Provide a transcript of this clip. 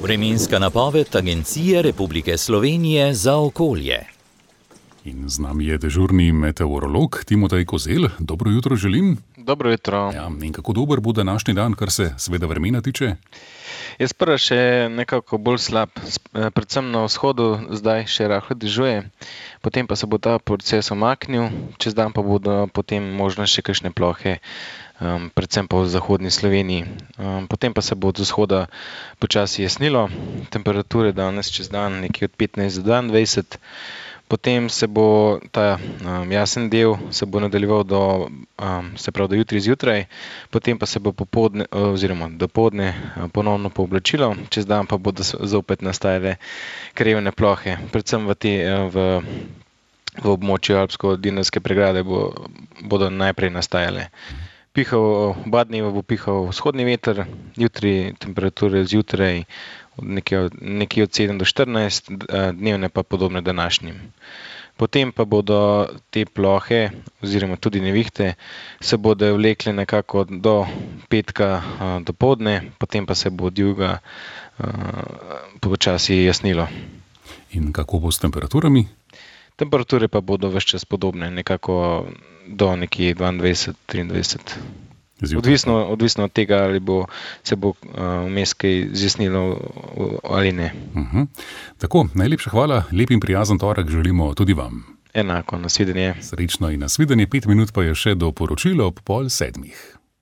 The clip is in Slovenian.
Vremenska napoved Agencije Republike Slovenije za okolje. In z nami je dežurni meteorolog Timotej Kozelj. Dobro jutro želim. Dobro jutro. Ja, in kako dober bo današnji dan, kar se seveda vremena tiče? Jaz prva še nekako bolj slab, predvsem na vzhodu zdaj še rahlo dežuje, potem pa se bo ta proces omaknil, čez dan pa bodo potem možne še kakšne plohe, predvsem pa v zahodni Sloveniji. Potem pa se bo od vzhoda počasi jasnilo, temperature danes čez dan nekje od 15 do 22, potem se bo ta jasen del se bo nadaljeval do jutri zjutraj, potem pa se bo popoldne oziroma dopoldne ponovno pooblačilo, čez dan pa bodo zopet nastajale krajevne plohe, predvsem v območju Alpsko-Dinarske pregrade bodo najprej nastajale. Oba dneva bo pihal vzhodni veter, jutri temperature zjutraj nekje od 7 do 14, dnevne pa podobne današnjim. Potem pa bodo te plohe oziroma tudi nevihte se bodo vlekle nekako do petka dopoldne, potem pa se bo od juga počasi jasnilo. In kako bo s temperaturami? Temperature pa bodo ves čas podobne, nekako do nekje 22-23. Odvisno od tega, ali se bo vmes kaj zjasnilo ali ne. Tako, najlepša hvala, lep in prijazen torek želimo tudi vam. Enako, nasvidenje. Srečno in nasvidenje, 5 minut pa je še do poročila ob 6:30.